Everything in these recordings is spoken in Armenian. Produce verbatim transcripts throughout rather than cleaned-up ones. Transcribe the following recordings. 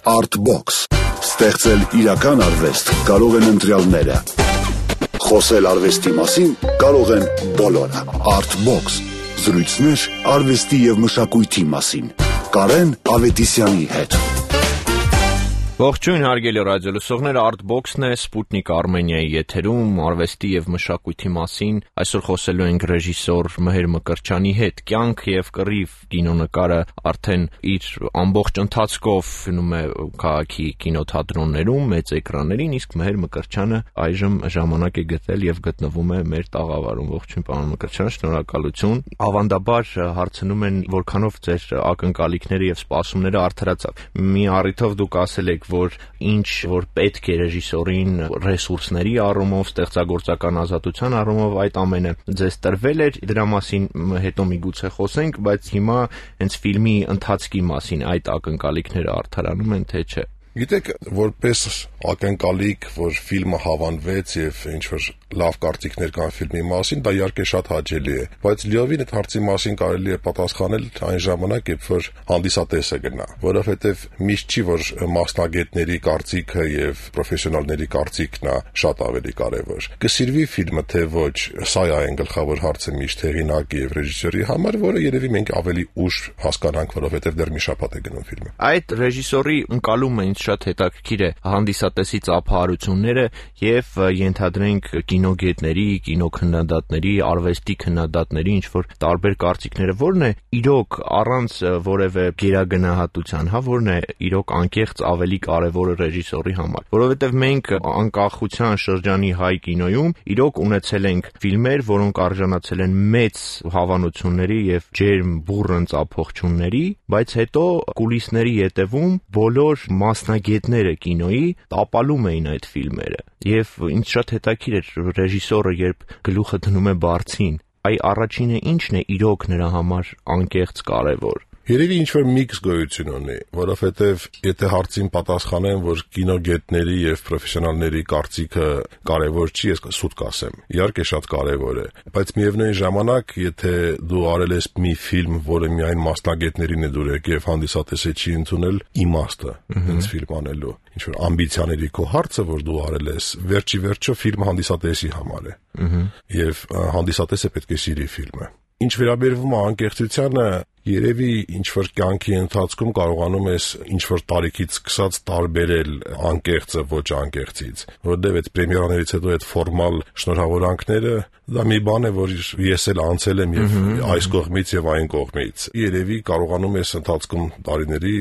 Artbox. Ստեղծել իրական արվեստ կարող են ընտրյալները։ Խոսել արվեստի մասին կարող են բոլորը։ Artbox. Զրույցներ արվեստի և մշակույթի մասին։ Կարեն Ավետիսյանի հետ։ Ողջույն հարգելի ռադիոլսողներ, Artbox-ն է, Sputnik Armenia-ի եթերում, արվեստի և մշակույթի մասին։ Այսօր խոսելու ենք ռեժիսոր Մհեր Մկրտչյանի հետ։ Կյանք և կռիվ կինոնկարը արդեն իր ամբողջ ընթացքով գնում է քաղաքի կինոթատրոններում, մեծ էկրաններին, իսկ Մհեր Մկրտչյանը այժմ ժամանակ է գտել և գտնվում է մեր տաղավարում։ Ողջույն պարոն Մկրտչյան, շնորհակալություն։ Ավանդաբար հարցնում են, որքանով ձեր ակնկալիքները և սպասումները արդարացավ։ Մի առիթով դուք ասել եք, որ ինչ որ պետք է ռեժիսորին ռեսուրսների առումով, ստեղծագործական ազատության առումով, այդ ամենը ձեզ տրվել էր, դրա մասին հետո միգուցե խոսենք, բայց հիմա հենց ֆիլմի ընթացքի մասին այդ ակնկալիքները արդարանում են, թե չէ։ Գիտեք, որպես ակնկալիք, որ ֆիլմը հավանվեց եւ ինչ-որ լավ կարծիքներ կան ֆիլմի մասին, դա իհարկե շատ հաճելի է, բայց լիովին այդ հարցի մասին կարելի է պատասխանել այն ժամանակ, երբ որ հանդիսատեսը գնա, որովհետեւ միշտ չի, որ մասնագետների կարծիքը եւ պրոֆեսիոնալների կարծիքն է շատ ավելի կարեւոր։ Կսիրվի ֆիլմը թե ոչ, սա է այն գլխավոր հարցը միշտ հեղինակի եւ ռեժիսորի համար, որը երևի մենք ավելի ուշ հասկանանք, որովհետեւ դեռ մի շաբաթ է գնում ֆիլմը։ Այդ ռեժիսորի ընկալումը ինձ շատ հետաքրքիր է, հանդիսատեսի ծափահարությունները եւ ենթադրենք կինոգետների, կինոքննադատների, արվեստի քննադատների ինչ որ տարբեր կարծիքները, որն է իրոք առանց որևէ գերագնահատության, հա, որն է իրոք անկեղծ ավելի կարևորը ռեժիսորի համար, որովհետեւ մենք անկախության շրջանի հայ կինոյում իրոք ունեցել ենք ֆիլմեր, որոնք արժանացել են մեծ հավանությունների եւ ջերմ բուռն ծափողջունների, բայց հետո կուլիսների ետևում բոլոր մասնագետները կինոյի տապալում էին այդ ֆիլմերը եւ ինձ շատ հետաքրքիր էր ռեժիսորը երբ գլուխը դնում է բարձին, այ առաջինը ինչն է իրոք նրա համար անկեղծ կարևոր։ Երևի ինչ-որ միքս գոյություն ունի, որովհետև եթե հարցին պատասխանեմ, որ կինոգետների եւ պրոֆեսիոնալների կարծիքը կարևոր չի, ես սուտ կասեմ։ Իհարկե շատ կարևոր է, բայց միևնույն ժամանակ, եթե դու արել ես մի ֆիլմ, որը միայն մասնագետներին է դուրեք եւ հանդիսատեսը չի ընդունել իմաստը այս ֆիլմ անելու, ինչ-որ ամբիցիաների քո հարցը, որ դու արել ես, վերջի վերջո ֆիլմը հանդիսատեսի համար է։ Եվ հանդիսատեսը պետք է սիրի ֆիլմը։ Ինչ վերաբերվում է անկեղծությանը, երևի ինչ-որ կյանքի ընթացքում կարողանում ես ինչ-որ տարիքից սկսած տարբերել անկեղծը ոչ անկեղծից, որովհետև այդ պրեմիերաներից հետո այդ ֆորմալ շնորհավորանքները դա մի բան է, որ ես էլ անցել եմ եւ այս կողմից եւ այն կողմից։ Երևի կարողանում ես ընթացքում տարիների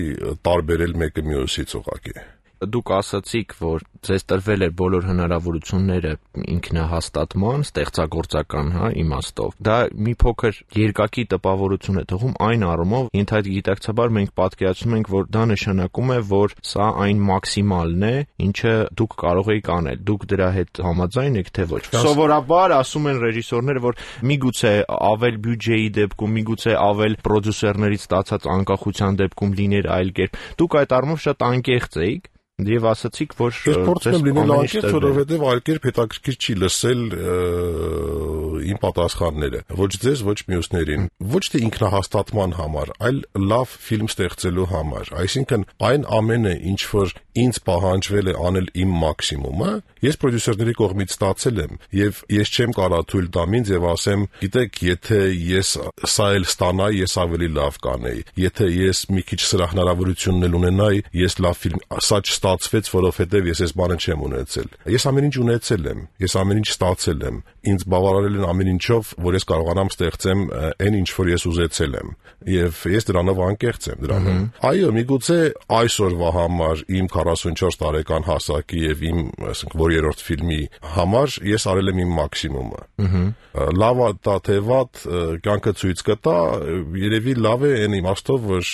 տարբերել մեկը մյուսից ուղղակի։ Դուք ասացիք, որ ձեզ տրվել էր բոլոր հնարավորությունները ինքնահաստատման, ստեղծագործական, հա, իմաստով։ Դա մի փոքր երկակի տպավորություն է թողում այն առումով, ենթագիտակցաբար մենք պատկերացնում ենք, որ դա նշանակում է, որ սա այն մաքսիմալն է, ինչը դուք կարող եք անել։ Դուք դրա հետ համաձայն եք, թե ոչ։ Սովորաբար ասում են ռեժիսորները, որ միգուցե ավել բյուջեի դեպքում, միգուցե ավել պրոդյուսերներից ստացած անկախության դեպքում լիներ այլ կերպ։ Դուք այդ առումով շատ անկեղծ եք։ Եվ ասացիք, որ ես փորձում եմ լինել անկեղծ, որովհետև այլ կերպ հետաքրքիր չի լսել իմ պատասխանները, ոչ ձեզ, ոչ մյուսներին, ոչ թե ինքնահաստատման համար, այլ լավ ֆիլմ ստեղծելու համար։ Այսինքն այն ամենը, ինչ որ ինձ պահանջվել է անել իմ մաքսիմումը, ես պրոդյուսերների կողմից ստացել եմ, եւ ես չեմ կարող թույլ տամ ինձ եւ ասեմ, գիտեք, եթե ես սա էլ ստանայի, ես ավելի լավ կանեի։ Եթե ես մի քիչ սրա հնարավորությունն էլ ունենայի, ես լավ ֆիլմ, սա ստացվեց, որովհետև ես այս բանը չեմ ունեցել։ Ես ամեն ինչ ունեցել եմ, ես ամեն ինչ ստացել եմ։ Ինձ բավարարել են ամեն ինչով, որ ես կարողանամ ստեղծեմ այն, ինչ որ ես ուզեցել եմ, եւ ես դրանով անկեղծ եմ դրանով։ Այո, միգուցե այսօրվա համար իմ քառասունչորս տարեկան հասակի եւ իմ, ասենք, որ երրորդ ֆիլմի համար ես արել եմ իմ մաքսիմումը։ Լավ է դա թե վատ, կյանքը ցույց կտա, երևի լավ է այն իմաստով, որ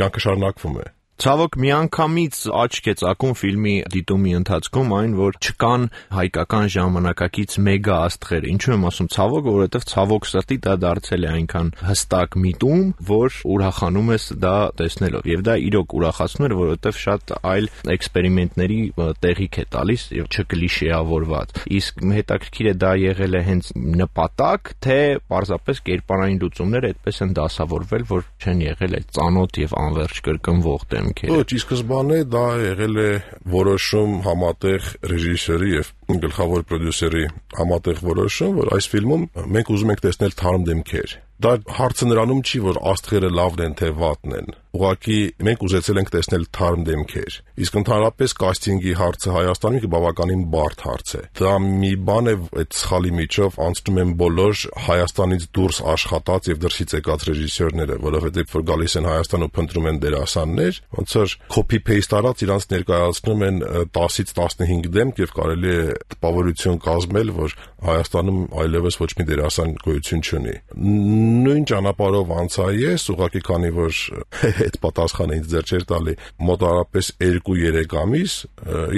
կյանքը շարունակվում է։ Ցավոք միանգամից աչք է ծակում ֆիլմի դիտումի ընթացքում այն, որ չկան հայկական ժամանակակից մեգա աստղեր։ Ինչու եմ ասում ցավոք, որովհետև ցավոք սրտի դա դարձել է այնքան հստակ միտում, որ ուրախանում ես դա տեսնելով։ Եվ դա իրոք ուրախացնում էր, որովհետև շատ այլ էքսպերիմենտների տեղիք է տալիս եւ չկլիշեավորված։ Իսկ հետաքրքիր է դա եղել է հենց նպատակ, թե պարզապես կերպարային լուծումները այդպես են դասավորվել, որ չեն եղել այդ ծանոթ եւ անverջ կրկնվող դեմ դեմքերը։ Ոչ, ի սկզբանե դա եղել է որոշում համատեղ ռեժիսորի եւ գլխավոր պրոդյուսերի համատեղ որոշում, որ այս ֆիլմում մենք ուզում ենք տեսնել թարմ դեմքեր։ Դա հարցը նրանում չի, որ աստղերը լավն են թե վատն են։ Ուղղակի մենք ուզեցել ենք տեսնել թարմ դեմքեր։ Իսկ ընդհանրապես կաստինգի հարցը Հայաստանում բավականին բարդ հարց է։ Դա մի բան է, այդ սխալի միջով անցնում են բոլոր Հայաստանից դուրս աշխատած եւ դրսից եկած ռեժիսորները, որովհետեւ որ գալիս են Հայաստան ու փնտրում են դերասաններ, ոնց որ copy-paste արած իրանց ներկայացնում են տասից տասնհինգ դեմք եւ կարելի է տպավորություն կազմել, որ Հայաստանում այլևս ոչ մի դերասան գոյություն չունի։ Նույն ճանապարհով անցա ես, ուղղակի քանի որ այդ պատասխանը ինձ ձեռ չէր տալի մոտավորապես երկու երեք ամիս,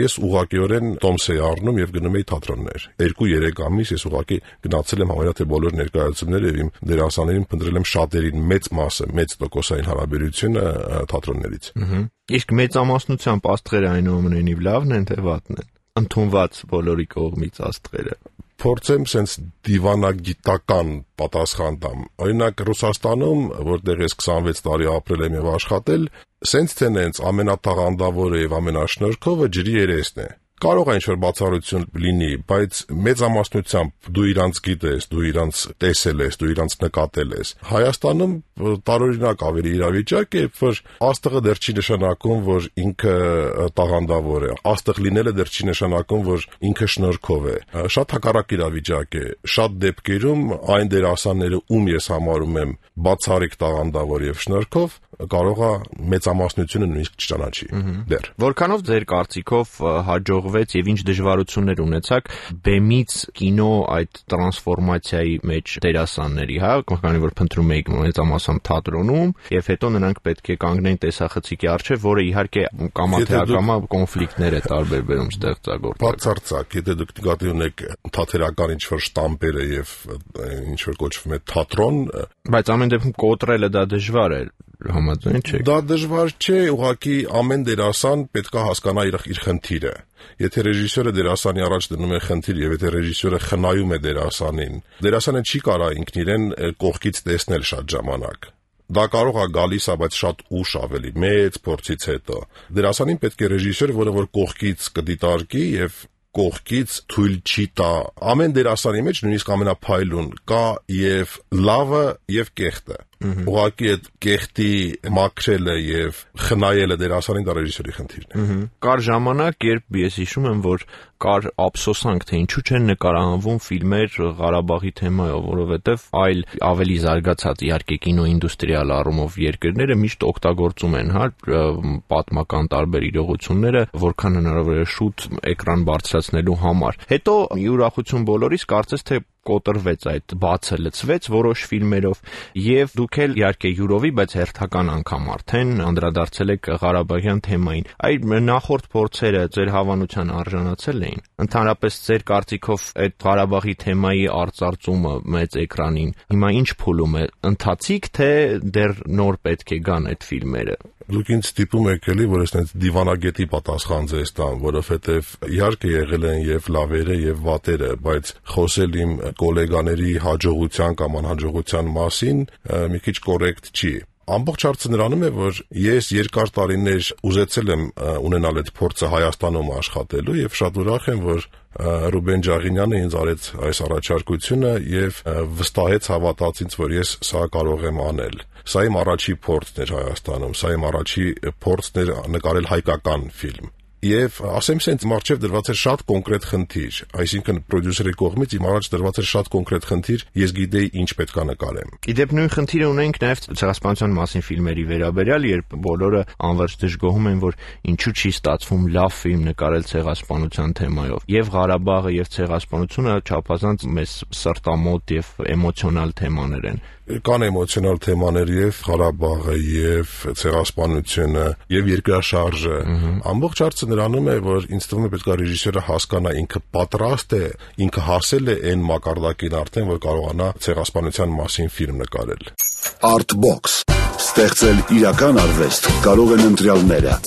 ես ուղղակիորեն տոմս էի առնում եւ գնում էի թատրոններ։ երկու երեք ամիս ես ուղղակի գնացել եմ համարյա թե բոլոր ներկայացումները եւ իմ դերասաններին փնտրել եմ շատերին, մեծ մասը, մեծ տոկոսային հարաբերությունը թատրոններից։ Իսկ մեծամասնությամբ աստղերը այնուամենայնիվ լավն են թե վատն են։ Ընդունված բոլորի կողմից աստղերը։ Փորձեմ sense դիվանագիտական պատասխան տամ։ Օրինակ Ռուսաստանում, որտեղ ես քսանվեց տարի ապրել եմ եւ աշխատել, sense թե նենց ամենաթաղանդավորը եւ ամենաշնորհքովը ջրի երեսն է։ Կարող է ինչ-որ բացառություն լինի, բայց մեծամասնությամբ դու իրանց գիտես, դու իրանց տեսել ես, դու իրանց նկատել ես։ Հայաստանում տարօրինակ ավելի իրավիճակ է, որ աստղը դեռ չի նշանակում, որ ինքը տաղանդավոր է։ Աստղ լինելը դեռ չի նշանակում, որ ինքը շնորհքով է։ Շատ հակառակ իրավիճակ է։ Շատ դեպքերում այն դերասանները, ում ես համարում եմ բացառիկ տաղանդավոր եւ շնորհքով, կարող է մեծամասնությունը նույնիսկ չճանաչի դեռ։ Որքանով ձեր կարծիքով հաջողվեց եւ ինչ դժվարություններ ունեցաք բեմից կինո այդ տրանսֆորմացիայի մեջ դերասանների, հա, քանի որ փնտրում էիք մեծամասամբ թատրոնում եւ հետո նրանք պետք է կանգնեն տեսախցիկի առջեւ, որը իհարկե կամա թե ակամա կոնֆլիկտներ է տարբեր բերում ստեղծագործել։ Բացարձակ, եթե դուք նկատի ունեք թատերական ինչ-որ շտամպերը եւ ինչ-որ կոչվում է թատրոն, բայց ամեն դեպքում կոտրելը դա դժվար է։ Համաձայն չեք։ Դա դժվար չէ, ուղղակի ամեն դերասան պետք է հասկանա իր իր խնդիրը։ Եթե ռեժիսորը դերասանի առաջ դնում է խնդիր եւ եթե ռեժիսորը խնայում է դերասանին, դերասանը չի կարա ինքն իրեն կողքից տեսնել շատ ժամանակ։ Դա կարող է գալիս է, բայց շատ ուշ ավելի, մեծ փորձից հետո։ Դերասանին պետք է ռեժիսոր, որը որ կողքից կդիտարկի եւ կողքից թույլ չի տա։ Ամեն դերասանի մեջ նույնիսկ ամենափայլուն կա եւ լավը եւ կեղտը։ Ուղղակի այդ կեղտի մաքրելը եւ խնայելը դերասանին դա ռեժիսորի խնդիրն է։ Կար ժամանակ, երբ ես հիշում եմ, որ կար ափսոսանք, թե ինչու չեն նկարահանվում ֆիլմեր Ղարաբաղի թեմայով, որովհետեւ այլ ավելի զարգացած իհարկե կինոինդուստրիալ առումով երկրները միշտ օգտագործում են, հա, պատմական տարբեր իրողությունները, որքան հնարավոր է շուտ էկրան բարձրացնելու համար։ Հետո ուրախություն բոլորիս կարծես թե կոտրվեց այդ բացը լցվեց որոշ ֆիլմերով եւ դուք էլ իհարկե յուրովի, բայց հերթական անգամ արդեն անդրադարձել եք Ղարաբաղյան թեմային։ Այդ նախորդ փորձերը ձեր հավանության արժանացել էին։ Ընդհանրապես ձեր կարծիքով այդ Ղարաբաղի թեմայի արծարծումը մեծ էկրանին հիմա ինչ փուլում է, ընթացիկ թե դեռ նոր պետք է գան այդ ֆիլմերը։ Դուք ինձ ստիպում եք էլի, որ ես այնց դիվանագետի պատասխան ձեզ տամ, որովհետև իհարկե եղել են եւ լավերը եւ վատերը, բայց խոսել իմ գոլեգաների հաջողության կամ անհաջողության մասին մի քիչ կոռեկտ չի։ Ամբողջ հարցը նրանում է, որ ես երկար տարիներ ուզեցել եմ ունենալ այդ փորձը Հայաստանում աշխատելու եւ շատ ուրախ եմ, որ Ռուբեն Ջաղինյանը ինձ արեց այս առաջարկությունը եւ վստահեց, հավատաց ինձ, որ ես սա կարող եմ անել։ Սա իմ առաջի փորձն էր Հայաստանում, սա իմ առաջի փորձն էր նկարել հայկական ֆիլմ։ Եվ ասեմ սենց մարչև դրված էր շատ կոնկրետ խնդիր, այսինքն պրոդյուսերի կողմից իմ առաջ դրված էր շատ կոնկրետ խնդիր, ես գիտեի ինչ պետք է նկարեմ։ Իդեպ նույն խնդիրը ունենք նաև ցեղասպանության մասին ֆիլմերի վերաբերյալ, երբ բոլորը անվերջ դժգոհում են, որ ինչու չի ստացվում լավ ֆիլմ նկարել ցեղասպանության թեմայով։ Եվ Ղարաբաղը եւ ցեղասպանությունը չափազանց մեզ սրտամոտ եւ էմոցիոնալ թեմաներ են։ Կան էմոցիոնալ թեմաներ եւ Ղարաբաղը եւ ցեղասպանությունը եւ երկրաշարժը։ Ամբողջ հարցը նրանում է, որ ինձ թվում է պետք է ռեժիսորը հասկանա ինքը պատրաստ է, ինքը հասել է այն մակարդակին արդեն, որ կարողանա ցեղասպանության մասին ֆիլմ նկարել։ Artbox ստեղծել իրական արվեստ կարող են ընտրյալները։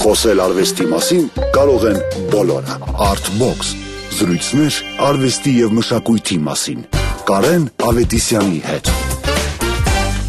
Խոսել արվեստի մասին կարող են բոլորը։ Artbox զրույցներ արվեստի եւ մշակույթի մասին։ Կարեն Ավետիսյանի հետ։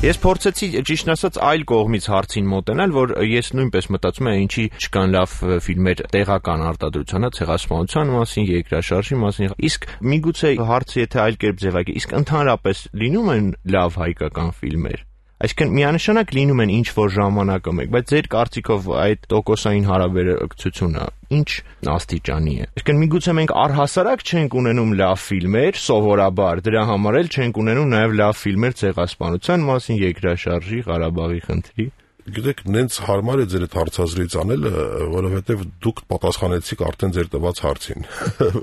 Ես փորձեցի ճիշտ ասած այլ կողմից հարցին մոտենալ, որ ես նույնպես մտածում եմ ինչի չկան լավ ֆիլմեր տեղական արտադրության, ցեղասպանության մասին, երկրաշարժի մասին։ Իսկ միգուցե հարցը եթե այլ կերպ ձևակերպի, իսկ ընդհանրապես լինում են լավ հայկական ֆիլմեր։ Այսինքն միանշանակ լինում են ինչ որ ժամանակը մեկ, բայց ձեր կարծիքով այդ տոկոսային հարաբերակցությունը ինչ աստիճանի է։ Այսինքն միգուցե մենք առհասարակ չենք ունենում լավ ֆիլմեր, սովորաբար դրա համար էլ չենք ունենում նաև լավ ֆիլմեր ցեղասպանության մասին, երկրաշարժի, Ղարաբաղի խնդրի։ Գիտեք, նենց հարմար է ձեր այդ հարցազրույց անելը, որովհետև դուք պատասխանեցիք արդեն ձեր տված հարցին,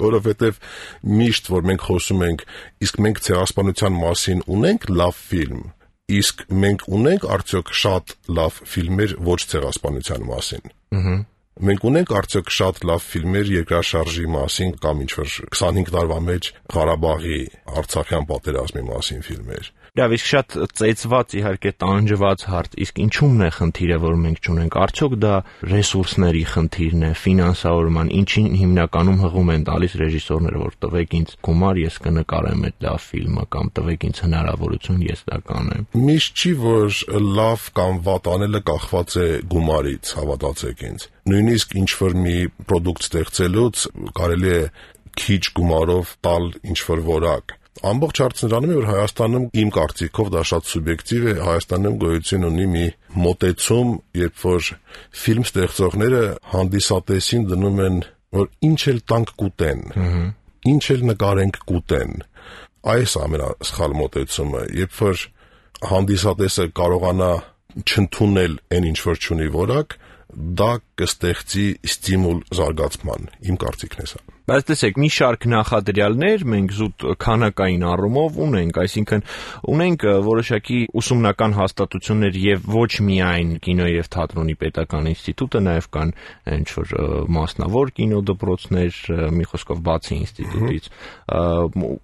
որովհետև միշտ որ մենք խոսում ենք, իսկ մենք ցեղասպանության մասին ունենք լավ ֆիլմ, իսկ մենք ունենք արդյոք շատ լավ ֆիլմեր ոչ ցեղասպանության մասին։ Ահա։ Մենք ունենք արդյոք շատ լավ ֆիլմեր երկրաշարժի մասին կամ ինչ-որ քսանհինգ տարվա մեջ Ղարաբաղի, Արցախյան պատերազմի մասին ֆիլմեր։ Լավ, իսկ շատ ծեծված իհարկե տանջված հարց, իսկ ինչու՞մն է խնդիրը, որ մենք չունենք։ Արդյոք դա ռեսուրսների խնդիրն է, ֆինանսավորման, ինչին հիմնականում հղում են տալիս ռեժիսորները, որ տվեք ինձ գումար, ես կնկարեմ այդ լավ ֆիլմը կամ տվեք ինձ հնարավորություն, ես դա կանեմ։ Միշտ չի, որ լավ կամ վատ անելը կախված է գումարից, հավատացեք ինձ։ Նույնիսկ ինչ-որ մի պրոդուկտ ստեղծելուց կարելի է քիչ գումարով տալ ինչ-որ որակ։ Ամբողջ հարցը նրանում է, որ Հայաստանում իմ կարծիքով դա շատ սուբյեկտիվ է, Հայաստանում գոյություն ունի մի մոտեցում, երբ որ ֆիլմ ստեղծողները հանդիսատեսին դնում են, որ ինչ էլ տանք կուտեն, ինչ էլ նկարենք կուտեն։ Այս ամենասխալ մոտեցումը, երբ որ հանդիսատեսը կարողանա չընդունել այն ինչ որ չունի որակ, դա կստեղծի ստիմուլ զարգացման, իմ կարծիքն է սա։ Բայց տեսեք, մի շարք նախադրյալներ մենք զուտ քանակային առումով ունենք, այսինքն ունենք որոշակի ուսումնական հաստատություններ եւ ոչ միայն կինոյի եւ թատրոնի պետական ինստիտուտը, նաեւ կան ինչ-որ մասնավոր կինոդպրոցներ, մի խոսքով բացի ինստիտուտից,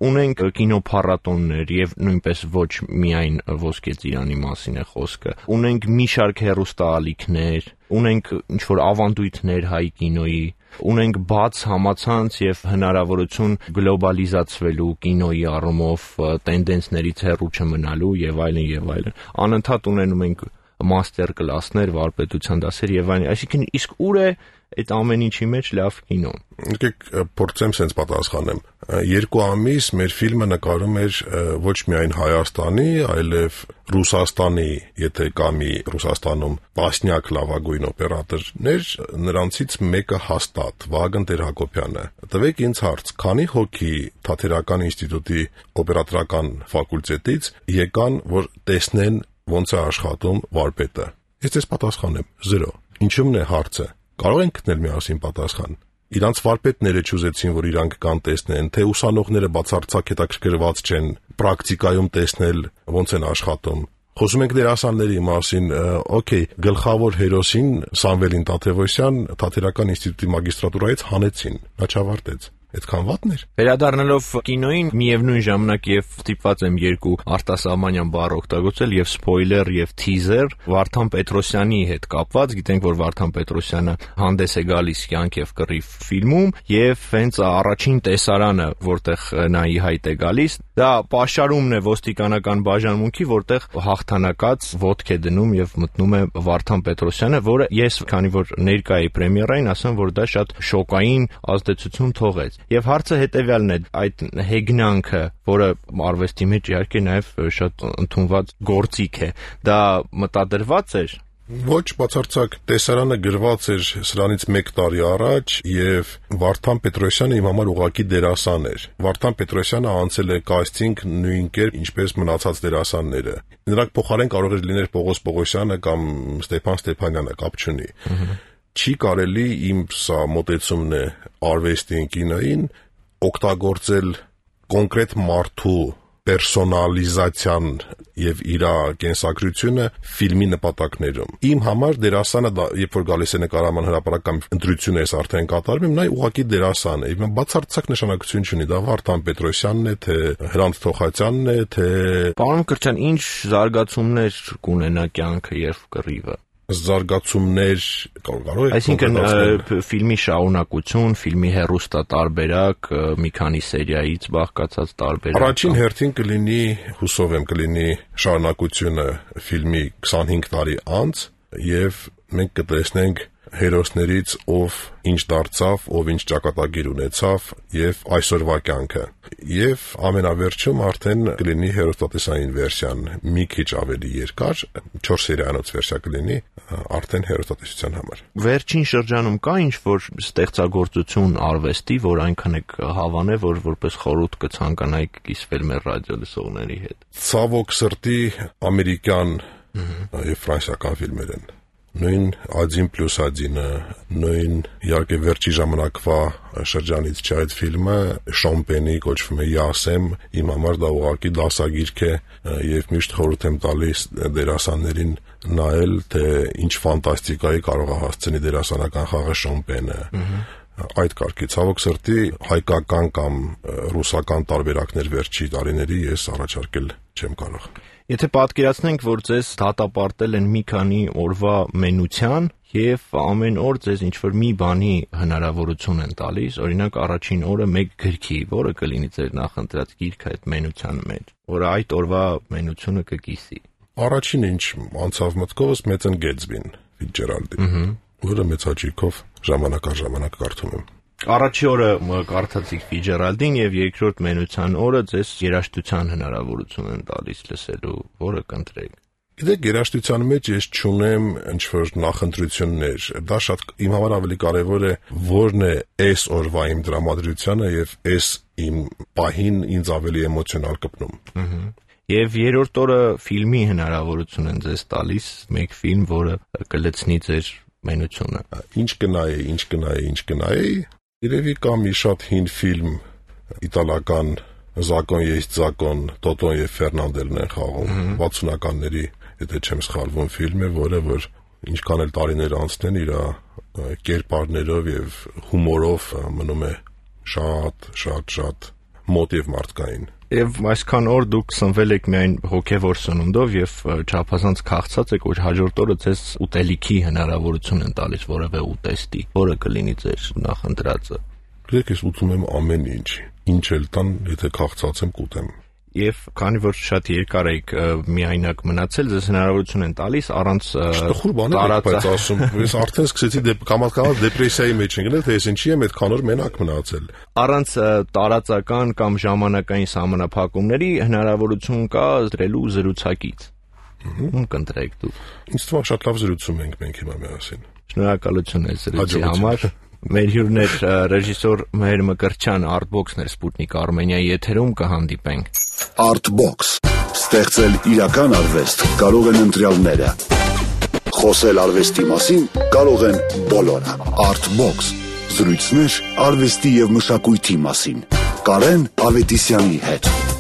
ունենք կինոփառատոններ եւ նույնպես ոչ միայն Ոսկե ծիրանի մասին է խոսքը, ունենք մի շարք հեռուստաալիքներ, ունենք ինչ-որ ավանդույթներ հայ կինոյի, ունենք բաց համացանց եւ հնարավորություն գլոբալիզացվելու կինոյի առումով տենդենսներից հեռու չմնալու եւ այլն եւ այլն։ Անընդհատ ունենում ենք մաստեր կլասներ, վարպետության դասեր եւ այլն։ Այսինքն իսկ ուր է այդ ամեն ինչի մեջ լավ կինոն։ Եկեք փորձեմ sense պատասխանեմ։ Երկու ամիս մեր ֆիլմը նկարում էր ոչ միայն Հայաստանի, այլև Ռուսաստանի, եթե կա մի Ռուսաստանում տասնյակ լավագույն օպերատորներ, նրանցից մեկը հաստատ Վահագն Տեր-Հակոբյանը։ Տվեք ինձ հարց, քանի հոգի Թատերական ինստիտուտի օպերատորական ֆակուլտետից եկան, որ տեսնեն ոնց է աշխատում վարպետը։ Ես ես պատասխանեմ՝ զրո։ Ինչու՞մն է հարցը։ Կարող ենք գտնել միասին պատասխան։ Իրանց վարպետները չուզեցին, որ իրանք կան տեսնեն, թե ուսանողները բացարձակ հետաքրքրված չեն պրակտիկայում տեսնել ոնց են աշխատում։ Խոսում ենք դերասանների մասին, օքեյ, գլխավոր հերոսին Սամվելին Տաթևոսյան Թատերական ինստիտուտի մագիստրատուրայից հանեցին, նա չավարտեց։ Այդքան վատն էր։ Վերադառնալով կինոյին, միևնույն ժամանակ եւ ստիպված եմ երկու արտասահմանյան բառ օգտագործել եւ սփոյլեր եւ թիզեր Վարդան Պետրոսյանի հետ կապված, գիտենք որ Վարդան Պետրոսյանը հանդես է գալիս Կյանք եւ կռիվ ֆիլմում եւ հենց առաջին տեսարանը, որտեղ նա ի հայտ է գալիս, դա պաշարումն է ոստիկանական բաժանմունքի, որտեղ հաղթանակած ոտք է դնում եւ մտնում է Վարդան Պետրոսյանը, որը ես քանի որ ներկա էի պրեմիերային, ասեմ որ դա շատ շոկային ազդեցություն թողեց։ Եվ հարցը հետևյալն է, այդ հեգնանքը, որը արվեստի մեջ իհարկե նաև շատ ընդունված գործիք է, դա մտադրված էր։ Ոչ, բացարձակ տեսարանը գրված էր սրանից մեկ տարի առաջ եւ Վարդան Պետրոսյանը իմ համար ուղղակի դերասան էր։ Վարդան Պետրոսյանը անցել է կաստինգ նույն կերպ, ինչպես մնացած դերասանները։ Նրանք փոխարեն կարող էր լինել Պողոս Պողոսյանը կամ Ստեփան Ստեփանյանը, կապ չունի։ Չի կարելի իմ սա մոտեցումն է արվեստին, կինոյին օգտագործել կոնկրետ մարդու պերսոնալիզացիան եւ իր կենսագրությունը ֆիլմի նպատակներում։ Իմ համար դերասանը, երբ որ գալիս է նկարահանման հրապարակ կամ ընտրություն է արդեն կատարվում, նա ուղղակի դերասան է։ Իմ բացարձակ նշանակություն չունի, դա Վարդան Պետրոսյանն է, թե Հրանտ Թոխացյանն է, թե Պարոն Կրչյան, ինչ զարգացումներ կունենա կյանքը եւ կռիվը։ զարգացումներ կարող է։ Այսինքն ֆիլմի շարունակություն, ֆիլմի հեռուստատարբերակ, մի քանի սերիայից բաղկացած տարբերակ։ Առաջին հերթին կլինի, հուսով եմ, կլինի շարունակությունը ֆիլմի քսանհինգ տարի անց, եւ մենք կտեսնենք հերոսներից ով ինչ դարձավ, ով ինչ ճակատագիր ունեցավ եւ այսօրվա կյանքը։ Եվ ամենավերջում արդեն կլինի հերոստատեսային վերսիան, մի քիչ ավելի երկար, չորս սերիանոց վերսիա կլինի արդեն հերոստատեսության համար։ Վերջին շրջանում կա ինչ-որ ստեղծագործություն արվեստի, որ այնքան եք հավանել, որ որպես խորհուրդ կցանկանայիք կիսվել մեր ռադիո լսողների հետ։ Ցավոք սրտի ամերիկյան եւ ֆրանսիական ֆիլմեր են։ Նույն Ադին պլյուս Ադինը, նույն իհարկե վերջի ժամանակվա շրջանից չէ այդ ֆիլմը, Շոմպենի կոչվում է Յասեմ, իմ համար դա ուղղակի դասագիրք է եւ միշտ խորհուրդ եմ տալիս դերասաններին նայել, թե ինչ ֆանտաստիկայի կարող է հասցնի դերասանական խաղը Շոմպենը։ Այդ կարգի ցավոք սրտի հայկական կամ ռուսական տարբերակներ վերջի տարիների ես առաջարկել չեմ կարող։ Եթե պատկերացնենք, որ ձեզ դատապարտել են մի քանի օրվա մենության եւ ամեն օր ձեզ ինչ-որ մի բանի հնարավորություն են տալիս, օրինակ առաջին օրը մեկ գրքի, որը կլինի ձեր նախընտրած գիրքը այդ մենության մեջ, որ այդ օրվա մենությունը կկիսի։ Առաջին ինչ անցավ մտքովս Մեծն Գեթսբին, Ֆիցջերալդի, որը մեծ հաճույքով ժամանակ առ ժամանակ կարդում եմ։ Առաջի օրը կարդացիք Ֆիցջերալդին եւ երկրորդ մենության օրը ձեզ երաժշտության հնարավորություն են տալիս լսելու, որը կընտրեք։ Գիտեք, երաժշտության մեջ ես չունեմ ինչ-որ նախընտրություններ։ Դա շատ իմ համար ավելի կարևոր է, որն է այս օրվա իմ դրամատրությունը եւ այս իմ պահին ինձ ավելի էմոցիոնալ կպնում։ Եվ երրորդ օրը ֆիլմի հնարավորություն են ձեզ տալիս, մեկ ֆիլմ, որը կլցնի ձեր մենությունը։ Ինչ կնայի, ինչ կնայի, ինչ կնայի։ Երևի կա մի շատ հին ֆիլմ իտալական Զակոն есть закон, Տոտոն եւ Ֆերնանդելն են խաղում վաթսունականների, եթե չեմ սխալվում, ֆիլմ է, որը որ ինչքան էլ տարիներ անցնեն, իր կերպարներով եւ հումորով մնում է շատ, շատ, շատ մոտ եւ մարդկային։ Եվ այսքան օր դուք սնվել եք միայն հոգևոր սնունդով եւ չափազանց քաղցած եք, որ հաջորդ օրը ձեզ ուտելիքի հնարավորություն են տալիս որևէ ուտեստի, որը կլինի ձեր նախընտրածը։ Գիտեք, ես ուտում եմ ամեն ինչ, ինչ էլ տան, եթե քաղցած եմ կուտեմ։ Եվ քանի որ շատ երկար եք միայնակ մնացել, ձեզ հնարավորություն են տալիս առանց տխուր բաներ եք բայց ասում, ես արդեն սկսեցի կամաց-կամաց դեպրեսիայի մեջ ընկնել, թե ես ինչի եմ այդքան օր մենակ մնացել։ Առանց տարածական կամ ժամանակային սահմանափակումների հնարավորություն կա դրելու զրուցակից։ Ում կընտրեք դուք։ Ինձ թվում է շատ լավ զրուցում ենք մենք հիմա միասին։ Շնորհակալություն այս զրույցի համար։ Մեր հյուրն էր ռեժիսոր Մհեր Մկրտչյան, Artbox-ն էր Sputnik Armenia եթերում, կհանդիպենք։ Artbox. Ստեղծել իրական արվեստ կարող են ընտրյալները։ Խոսել արվեստի մասին կարող են բոլորը։ Artbox. Զրույցներ արվեստի եւ մշակույթի մասին։ Կարեն Ավետիսյանի հետ։